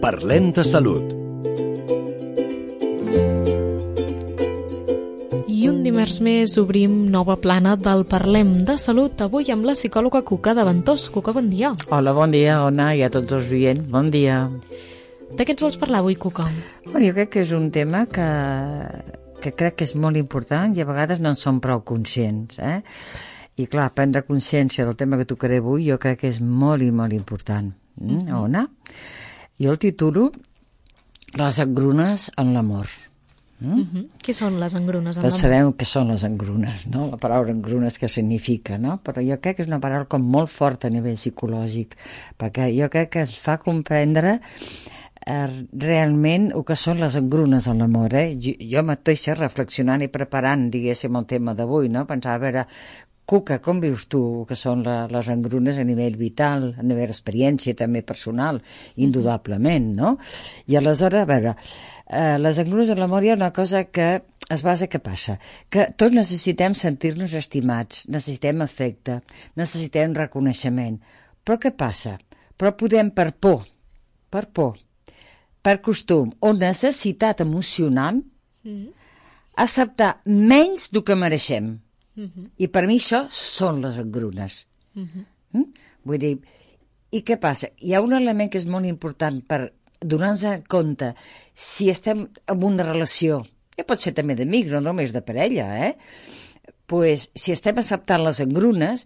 Parlem de salut. I un dimarts més obrim nova plana del Parlem de Salut, avui amb la psicòloga Cuca de Ventós. Cuca, bon dia. Hola, bon dia, Ona, i a tots els oients, bon dia. De què ens vols parlar avui, Cuca? Bueno, jo crec que és un tema que crec que és molt important i a vegades no en som prou conscients, I clar, prendre consciència del tema que tocaré avui jo crec que és molt i molt important. Ona? Jo el titulo Les engrunes en l'amor. Què són les engrunes en Tots l'amor? sabem què són les engrunes, no? La paraula engrunes què significa, no? Però jo crec que és una paraula com molt forta a nivell psicològic, perquè jo crec que es fa comprendre realment el que són les engrunes en l'amor, Jo mateixa reflexionant i preparant, diguéssim, el tema d'avui, no? Pensava, a veure, Cuca, com vius tu que són les engrunes a nivell vital, a nivell d'experiència també personal, indudablement, no? I aleshores, a veure, les engrunes en l'amor hi ha una cosa que es basa, què passa? Que tots necessitem sentir-nos estimats, necessitem afecte, necessitem reconeixement. Però què passa? Però podem per por, per costum o necessitat emocional acceptar menys del que mereixem. I per mi això són les engrunes. Vull dir, i què passa? Hi ha un element que és molt important per donar-nos compte si estem en una relació, ja pot ser també d'amics, no només de parella, pues, si estem acceptant les engrunes,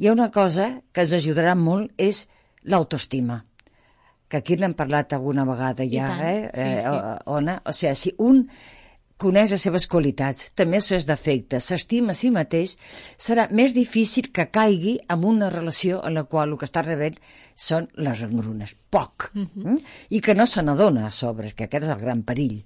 hi ha una cosa que ens ajudarà molt, és l'autoestima, que aquí n'hem parlat alguna vegada ja, Ona? O sigui, si un coneix les seves qualitats, també els seus defectes, s'estima a si mateix, serà més difícil que caigui en una relació en la qual el que està rebent són les engrunes. Poc. I que no se n'adona a sobre, que aquest és el gran perill.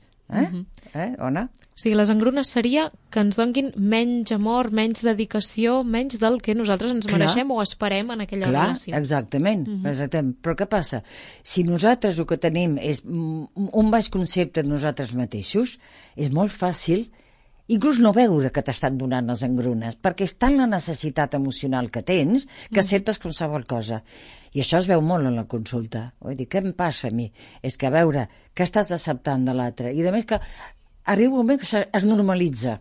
Ona? O sigui, les engrunes seria que ens donguin menys amor, menys dedicació, menys del que nosaltres ens mereixem o esperem en aquella relació. Exactament. Però què passa? Si nosaltres el que tenim és un baix concepte de nosaltres mateixos, és molt fàcil inclús no veure que t'estan donant les engrunes, perquè és tant la necessitat emocional que tens que acceptes qualsevol cosa. I això es veu molt en la consulta. Vull dir, què em passa a mi? És que, a veure, què estàs acceptant de l'altre? I a més que arriba un moment que es normalitza.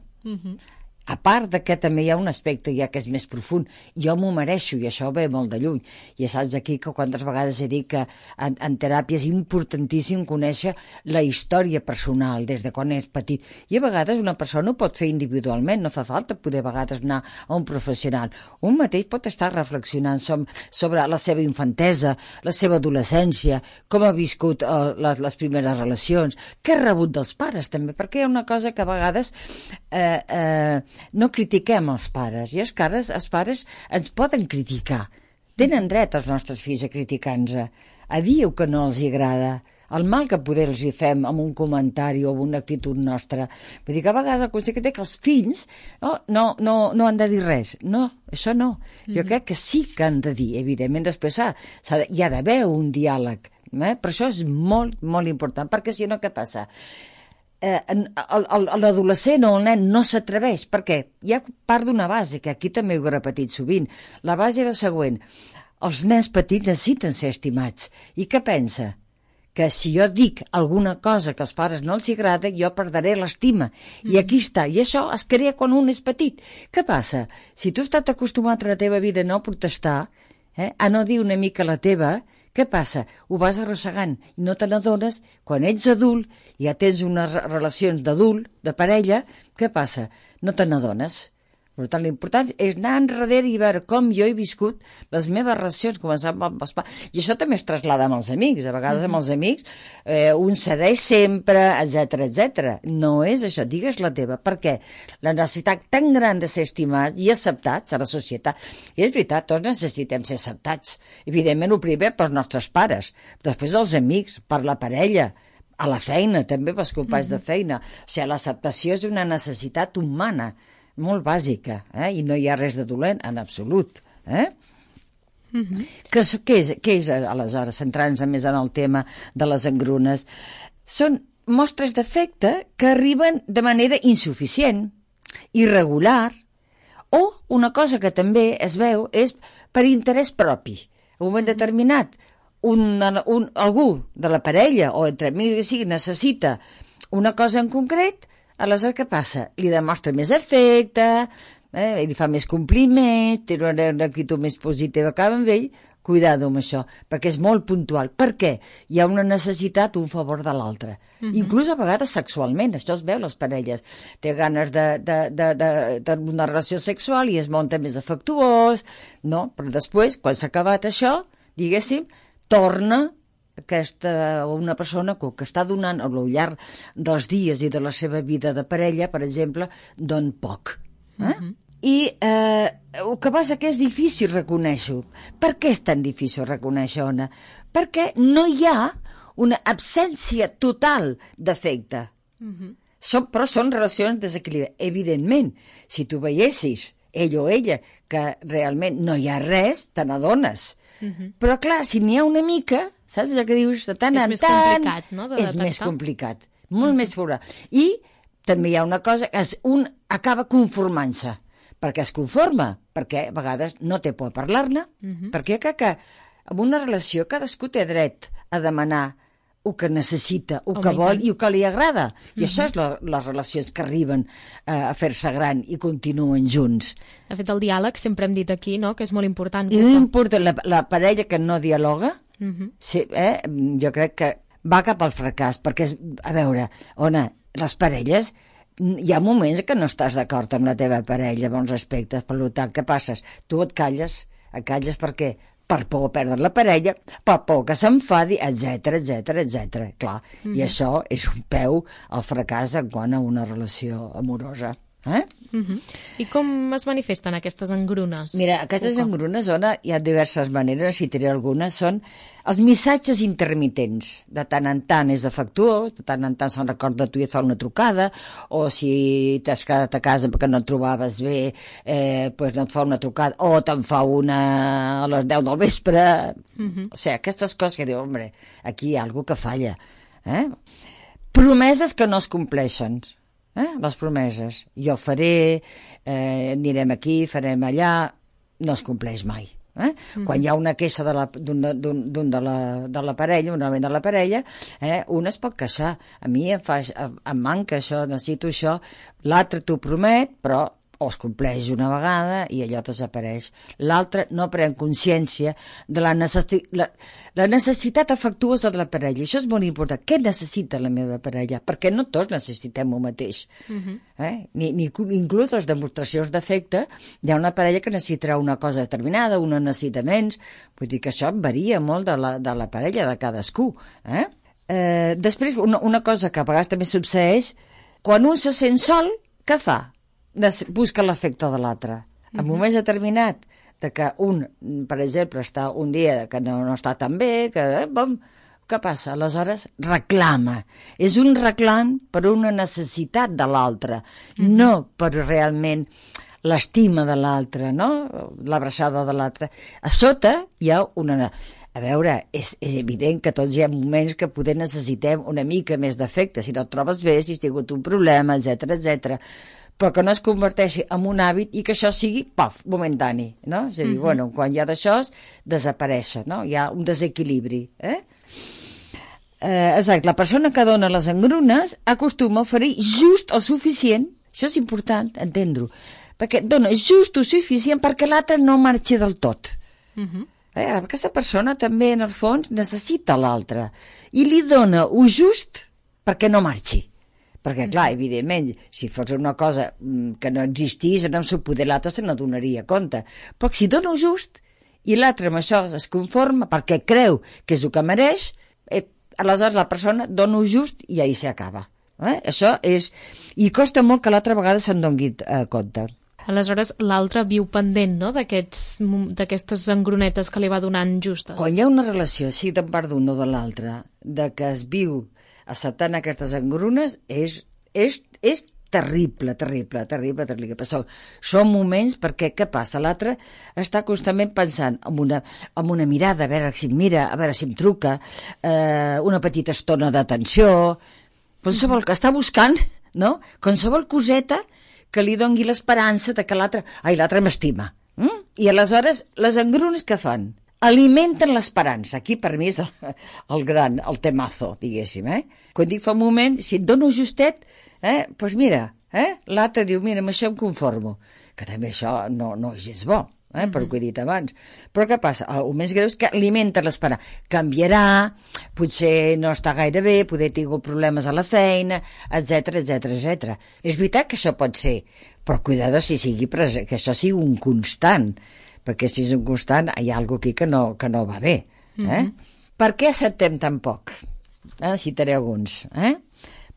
A part de que també hi ha un aspecte ja que és més profund, jo m'ho mereixo i això ve molt de lluny. Ja saps aquí que quantes vegades he dit que en teràpia és importantíssim conèixer la història personal des de quan és petit. I a vegades una persona ho pot fer individualment, no fa falta poder a vegades anar a un professional. Un mateix pot estar reflexionant sobre la seva infantesa, la seva adolescència, com ha viscut les primeres relacions, què ha rebut dels pares també, perquè hi ha una cosa que a vegades no critiquem els pares, i els pares ens poden criticar. Tenen dret els nostres fills a criticar-nos, a dir el que no els agrada, el mal que poder els hi fem amb un comentari o amb una actitud nostra. Vull dir que a vegades el consell que té que els fills no han de dir res. No, això no. Jo crec que sí que han de dir, evidentment, després hi ha d'haver un diàleg, però això és molt, molt important, perquè si no, què passa? L'adolescent o el nen no s'atreveix, perquè hi ha part d'una base, que aquí també ho he repetit sovint. La base era la següent: els nens petits necessiten ser estimats. I què pensa? Que si jo dic alguna cosa que als pares no els agrada, jo perdré l'estima. I aquí està. I això es crea quan un és petit. Què passa? Si tu has estat acostumat a la teva vida a no protestar, a no dir una mica la teva, què passa? Ho vas arrossegant i no te n'adones. Quan ets adult, ja tens unes relacions d'adult, de parella, què passa? No te n'adones. Per tant, l'important és anar enrere i veure com jo he viscut les meves relacions, començant amb els pares. I això també es trasllada amb els amics. A vegades amb els amics un cedeix sempre, etc. No és això, digues la teva. Per què? La necessitat tan gran de ser estimats i acceptats a la societat. I és veritat, tots necessitem ser acceptats. Evidentment, el primer pels nostres pares, després els amics, per la parella, a la feina, també pels companys de feina. O sigui, l'acceptació és una necessitat humana molt bàsica, i no hi ha res de dolent en absolut. Què és, aleshores, centrant-nos més en el tema de les engrunes? Són mostres d'afecte que arriben de manera insuficient, irregular, o una cosa que també es veu és per interès propi. En un moment determinat, algú de la parella o entre amics que sigui necessita una cosa en concret, aleshores què passa? Li demostra més afecte, li fa més compliments, té una actitud més positiva cap amb ell. Cuidado amb això, perquè és molt puntual. Per què? Hi ha una necessitat, un favor de l'altre. Inclús a vegades sexualment, això es veu les parelles. Té ganes d'una relació sexual i es munta més afectuós, no? Però després, quan s'ha acabat això, diguéssim, torna una persona que està donant al llarg dels dies i de la seva vida de parella, per exemple, don poc. I el que passa que és difícil reconèixer-ho. Per què és tan difícil reconèixer, Ona? Perquè no hi ha una absència total d'afecte. Però són relacions desequilibrades. Evidentment, si tu veiessis ell o ella que realment no hi ha res, te n'adones. Però clar, si n'hi ha una mica, saps allò que dius de tant en tant... És més complicat, no?, de detectar. És més complicat, molt més complicat. I també hi ha una cosa, un acaba conformant-se. Perquè es conforma, perquè a vegades no té por a parlar-ne, perquè que en una relació cadascú té dret a demanar el que necessita, el que vol i el que li agrada. I això és les relacions que arriben a fer-se gran i continuen junts. De fet, el diàleg sempre hem dit aquí, no?, que és molt important. I la parella que no dialoga, jo crec que va cap al fracàs, perquè, a veure, Ona, les parelles... Hi ha moments que no estàs d'acord amb la teva parella en molts aspectes, per tant, què passes? Tu et calles per què? Per por a perdre la parella, per por que s'enfadi, etc. Clar, i això és un peu al fracàs en quant a una relació amorosa. I com es manifesten aquestes engrunes? Mira, aquestes engrunes, Ona, hi ha diverses maneres, si diré algunes, són els missatges intermitents. De tant en tant és afectuós, de tant en tant se'n recorda tu i et fa una trucada, o si t'has quedat a casa perquè no et trobaves bé, doncs no et fa una trucada, o te'n fa una a les 10 del vespre. O sigui, aquestes coses que diu, hombre, aquí hi ha alguna que falla. Promeses que no es compleixen. Les promeses. Jo faré, anirem aquí, farem allà, no es compleix mai. Quan hi ha una queixa de la parella, un element de la parella, un es pot queixar. A mi em manca això, necessito això. L'altre t'ho promet, però o es compleix una vegada i allò desapareix. L'altre no pren consciència de la necessitat afectuosa de la parella. Això és molt important. Què necessita la meva parella? Perquè no tots necessitem el mateix. Inclús les demostracions d'afecte, hi ha una parella que necessitarà una cosa determinada, una necessita menys. Vull dir que això varia molt de la parella, de cadascú. Després, una cosa que a vegades també succeeix, quan un se sent sol, què fa? Busca l'afecte de l'altre. En moments determinat de que un, per exemple, està un dia que no està tan bé, què passa? Aleshores reclama. És un reclam per una necessitat de l'altre, no per realment l'estima de l'altre, no? L'abraçada de l'altre. A sota hi ha una... A veure, és evident que tots hi ha moments que poder necessitem una mica més d'afecte, si no et trobes bé, si has tingut un problema, etc. Però que no es converteixi en un hàbit i que això sigui, momentani, no? És a dir, quan hi ha d'això, desaparèixer, no? Hi ha un desequilibri, Exacte, la persona que dona les engrunes acostuma a oferir just el suficient, això és important, entendre-ho, perquè dona just el suficient perquè l'altre no marxi del tot. Aquesta persona també, en el fons, necessita l'altre i li dona el just perquè no marxi. Perquè, clar, evidentment, si fos una cosa que no existís, en el seu poder l'altre se n'adonaria compte. Però si dona just i l'altre amb això es conforma perquè creu que és el que mereix, aleshores la persona dona just i ahir s'acaba. Això és... I costa molt que l'altra vegada se'n doni compte. Aleshores, l'altre viu pendent, no?, d'aquestes engrunetes que li va donant justes. Quan hi ha una relació, sigui de part d'un o de l'altre, de que es viu acceptant aquestes engrunes, és terrible. Però són moments perquè, què passa? L'altre està constantment pensant en una mirada, a veure si em mira, a veure si em truca, una petita estona d'atenció, qualsevol que està buscant, no? Qualsevol coseta que li doni l'esperança de que l'altre m'estima. I aleshores les engrunes què fan? alimenten l'esperança. Aquí per mi és el temazo, diguéssim. Quan dic fa un moment, si et dono justet, doncs mira, l'altre diu, mira, amb això em conformo. Que també això no és gens bo, per el que he dit abans. Però què passa? El més greu és que alimenta l'esperança. Canviarà, potser no està gaire bé, poder ha tingut problemes a la feina, etc. És veritat que això pot ser, però cuidado si sigui present, que això sigui un constant, perquè si és un constant hi ha alguna cosa aquí que no va bé. Per què acceptem tan poc? Citaré alguns.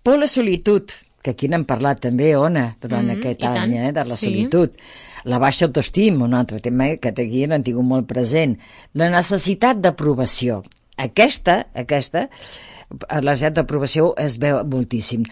Por la solitud, que aquí n'hem parlat també, Ona, durant aquest any, de la solitud. La baixa autoestima, un altre tema que aquí n'han tingut molt present. La necessitat d'aprovació. Aquesta, la necessitat d'aprovació es veu moltíssim.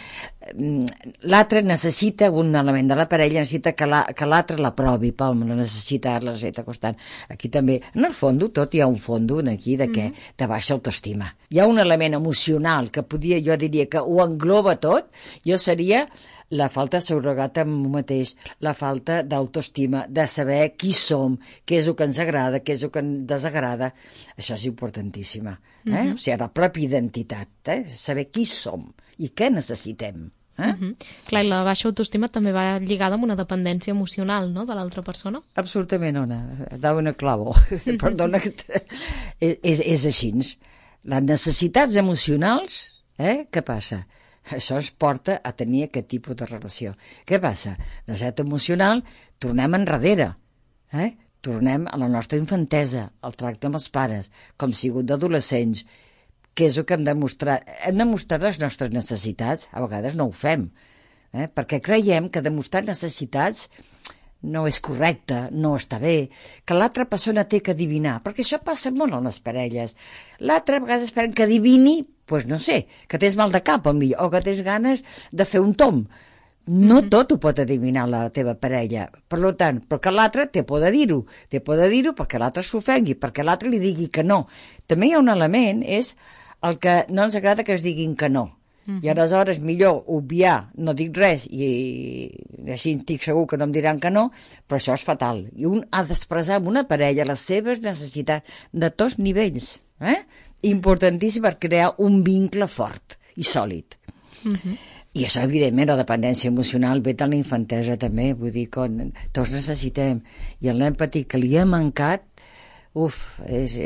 L'altre necessita, un element de la parella necessita que l'altre l'aprovi, la necessita constant. Aquí també, en el fons, tot hi ha un fons aquí de baixa autoestima. Hi ha un element emocional que jo diria que ho engloba tot, seria la falta de seguretat en un mateix, la falta d'autoestima, de saber qui som, què és el que ens agrada, què és el que ens desagrada. Això és importantíssima. O sigui, la pròpia identitat, saber qui som i què necessitem. Clar, i la baixa autoestima també va lligada amb una dependència emocional, no?, de l'altra persona. Absolutament, Ona. Dau una clavo. Perdona, és així. Les necessitats emocionals, què passa? Això ens porta a tenir aquest tipus de relació. Què passa? La necessitat emocional, tornem enrere, tornem a la nostra infantesa, al tracte amb els pares, com sigut d'adolescents, que és el que hem de mostrar. Hem de mostrar les nostres necessitats, a vegades no ho fem, perquè creiem que demostrar necessitats no és correcte, no està bé, que l'altra persona té que adivinar, perquè això passa molt en les parelles. L'altra a vegades esperen que adivini, doncs no sé, que tens mal de cap o que tens ganes de fer un tomb. No tot ho pot adivinar la teva parella, per tant, però que l'altre té por de dir-ho perquè l'altre s'ofengui, perquè l'altre li digui que no. També hi ha un element, és el que no ens agrada que es diguin que no. I aleshores millor obviar, no dic res i així estic segur que no em diran que no, però això és fatal. I un ha d'expressar amb una parella les seves necessitats de tots nivells, importantíssim per crear un vincle fort i sòlid. I això, evidentment, la dependència emocional ve de la infantesa també, vull dir que tots necessitem, i l'empatia que li ha mancat, és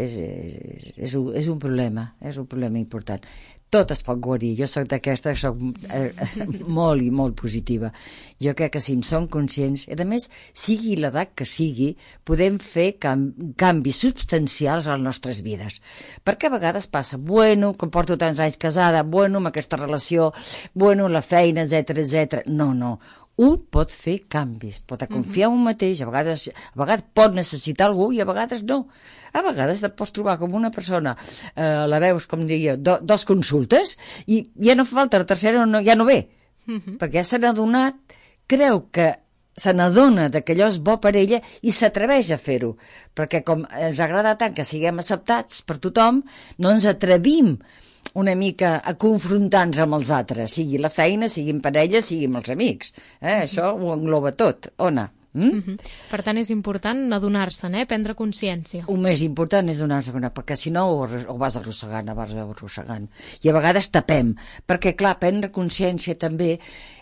un problema important. Tot es pot guarir. Jo soc d'aquesta, soc molt i molt positiva. Jo crec que si en som conscients, i a més, sigui l'edat que sigui, podem fer canvis substancials a les nostres vides. Perquè a vegades passa, com porto tants anys casada, amb aquesta relació, la feina, etc. No. Un pot fer canvis, pot confiar en un mateix, a vegades pot necessitar algú i a vegades no. A vegades et pots trobar com una persona, la veus, com diria, dos consultes i ja no fa falta, la tercera ja no ve, perquè ja se n'ha adonat, creu que se n'adona que allò és bo per ella i s'atreveix a fer-ho, perquè com ens agrada tant que siguem acceptats per tothom, no ens atrevim una mica a confrontar-nos amb els altres, sigui la feina, sigui en parella, sigui amb els amics. Això ho engloba tot. Ona? Per tant, és important adonar-se'n, prendre consciència. El més important és donar-se, perquè si no ho vas arrossegant. I a vegades tapem, perquè clar, prendre consciència també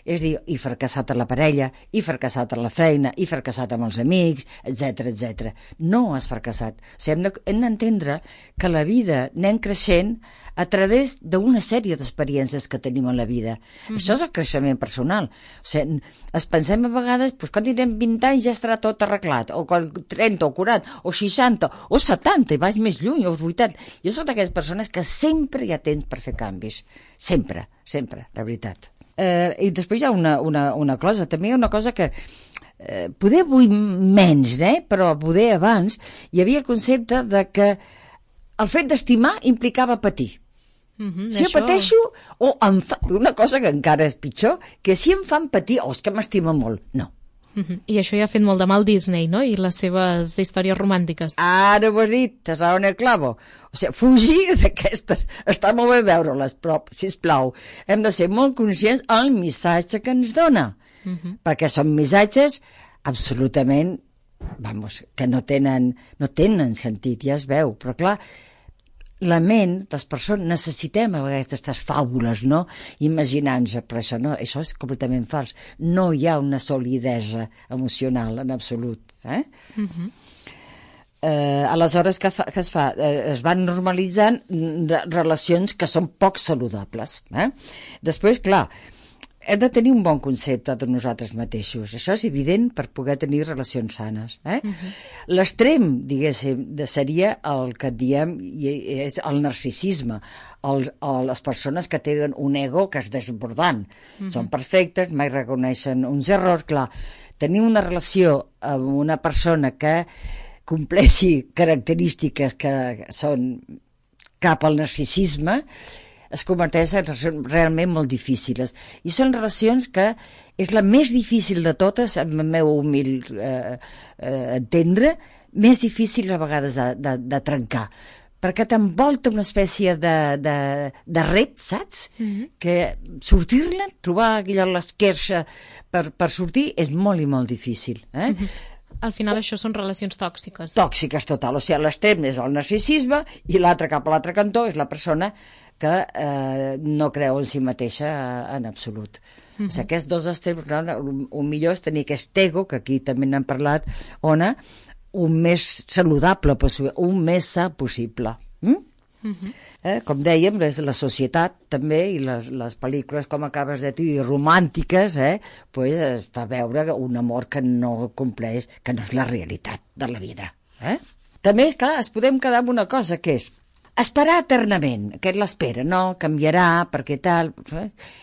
és dir, he fracassat a la parella, he fracassat a la feina, he fracassat amb els amics, etc. No has fracassat. O sigui, hem d'entendre que la vida anem creixent a través d'una sèrie d'experiències que tenim en la vida. Això és el creixement personal. O sigui, es pensem a vegades, quan tindrem 20 anys ja estarà tot arreglat, o 30, o 40, o 60, o 70, i vas més lluny, o 80. Jo soc d'aquelles persones que sempre hi ha temps per fer canvis. Sempre, la veritat. I després hi ha una cosa, també hi ha una cosa que poder avui menys, però poder abans hi havia el concepte de que el fet d'estimar implicava patir. Si jo pateixo, una cosa que encara és pitjor, que si em fan patir, és que m'estima molt. No. I això ja ha fet molt de mal Disney, no?, i les seves històries romàntiques. Ara ho has dit, t'has dado en el clavo. O sigui, fugir d'aquestes, està molt bé veure-les, però, sisplau, hem de ser molt conscients del missatge que ens dona, perquè són missatges absolutament que no tenen sentit, ja es veu, però clar, la ment, les persones, necessitem a vegades aquestes fàbules, no? Imaginant-nos, però això és completament fals. No hi ha una solidesa emocional en absolut. Aleshores, què es fa? Es van normalitzant relacions que són poc saludables. Després, clar, hem de tenir un bon concepte de nosaltres mateixos. Això és evident per poder tenir relacions sanes. L'extrem, diguéssim, seria el que diem és el narcisisme, les persones que tenen un ego que és desbordant. Són perfectes, mai reconeixen uns errors. Clar, tenir una relació amb una persona que compleixi característiques que són cap al narcisisme es converteix en relacions realment molt difícils. I són relacions que és la més difícil de totes, en el meu humil entendre, més difícil a vegades de trencar. Perquè t'envolta una espècie de ret, saps? Que sortir-ne, trobar l'esquerxa per sortir, és molt i molt difícil. Al final això són relacions tòxiques. Tòxiques, total. O sigui, l'extrem és el narcisisme i l'altre cap a l'altre cantó és la persona que no creu en si mateixa en absolut. O sigui, aquests dos extrems, el millor és tenir aquest ego, que aquí també n'hem parlat, Ona, un més saludable, un més sa possible. Com dèiem, la societat també, i les pel·lícules, com acabes de dir, romàntiques, es fa veure un amor que no compleix, que no és la realitat de la vida. També, clar, es podem quedar amb una cosa, que és esperar eternament. Aquest l'espera, no? Canviarà, perquè tal...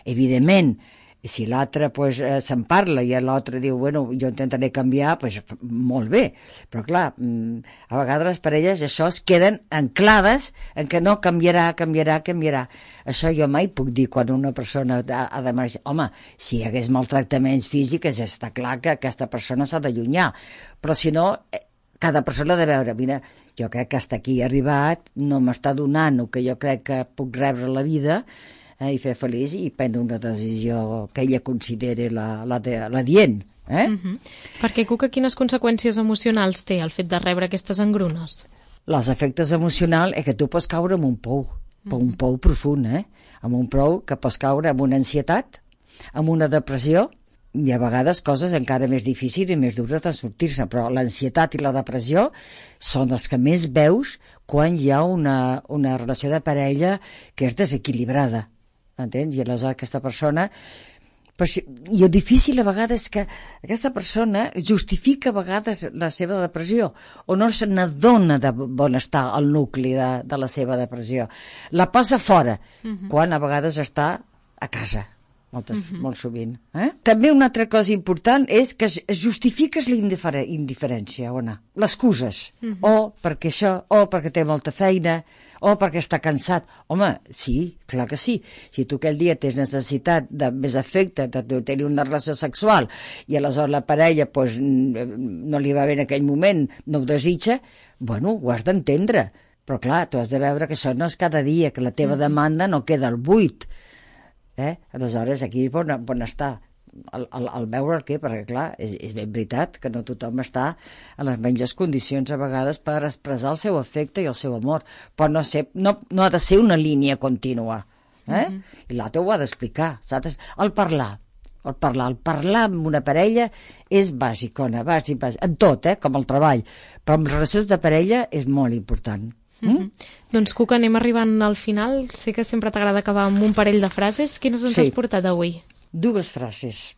Evidentment, si l'altre se'n parla i l'altre diu, bueno, jo intentaré canviar, molt bé. Però clar, a vegades les parelles això es queden anclades en que no canviarà. Això jo mai puc dir quan una persona ha de marxar. Home, si hi hagués maltractaments físics, està clar que aquesta persona s'ha d'allunyar. Però si no, cada persona ha de veure, mira, jo crec que fins aquí he arribat, no m'està donant el que jo crec que puc rebre a la vida, i fer feliç i prendre una decisió que ella consideri la dient. Perquè, Cuca, quines conseqüències emocionals té el fet de rebre aquestes engrunes? Els efectes emocionals és que tu pots caure en un pou, un pou profund, en un pou que pots caure en una ansietat, en una depressió, i a vegades coses encara més difícils i més dures de sortir-se, però l'ansietat i la depressió són els que més veus quan hi ha una relació de parella que és desequilibrada. Entens? I aleshores aquesta persona... I el difícil a vegades és que aquesta persona justifica a vegades la seva depressió o no se n'adona de on està el nucli de la seva depressió. La passa fora, quan a vegades està a casa. Molt sovint. També una altra cosa important és que justifiques la indiferència, Ona. L'excuses. O perquè això, o perquè té molta feina, o perquè està cansat. Home, sí, clar que sí. Si tu aquell dia tens necessitat de més afecte, de tenir una relació sexual, i aleshores la parella no li va bé en aquell moment, no ho desitja, bueno, ho has d'entendre. Però clar, tu has de veure que això no és cada dia, que la teva demanda no queda al buit. Aleshores aquí on està el veure el què, perquè clar, és ben veritat que no tothom està en les millors condicions a vegades per expressar el seu afecte i el seu amor, però no ha de ser una línia contínua, i l'altre ho ha d'explicar, saps? El parlar amb una parella és bàsic, bàsic, en tot, com el treball, però en relacions de parella és molt important. Doncs, Cuca, anem arribant al final. Sé que sempre t'agrada acabar amb un parell de frases. Quines ens has portat avui? 2 frases.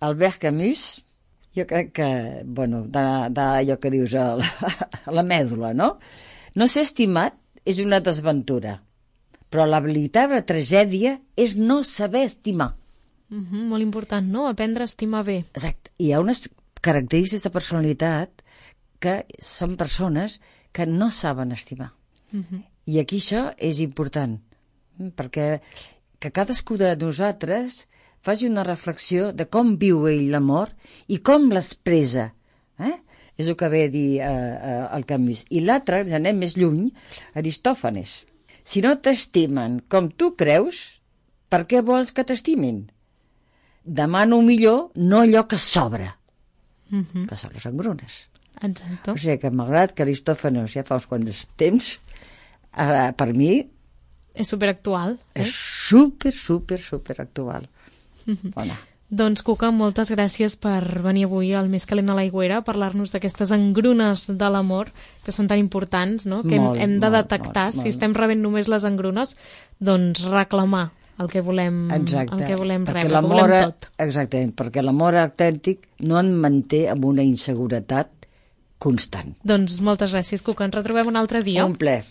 Albert Camus, jo crec que, d'allò que dius a la mèdula, no? No ser estimat és una desventura, però la veritable tragèdia és no saber estimar. Molt important, no? Aprendre a estimar bé. Exacte. Hi ha unes característiques de personalitat que són persones que no saben estimar. I aquí això és important, perquè que cadascú de nosaltres faci una reflexió de com viu ell l'amor i com l'expressa. És el que ve a dir el Camus. I l'altre, ja anem més lluny, Aristòfanes. Si no t'estimen com tu creus, per què vols que t'estimin? Demano millor, no allò que sobra. que són les engrunes. Exacte. O sigui que malgrat que Aristòfanes ja fa uns quants temps, per mi És superactual. és super actual. Bona. Doncs, Cuca, moltes gràcies per venir avui al Més calent a l'aigüera a parlar-nos d'aquestes engrunes de l'amor que són tan importants, no? Que hem de detectar. Si estem rebent només les engrunes, doncs reclamar el que volem, Exacte. el que volem Perquè rebre, el que volem tot. Exactament, perquè l'amor autèntic no en manté amb una inseguretat constant. Doncs moltes gràcies, Cuca. Ens retrobem un altre dia. Un plaer.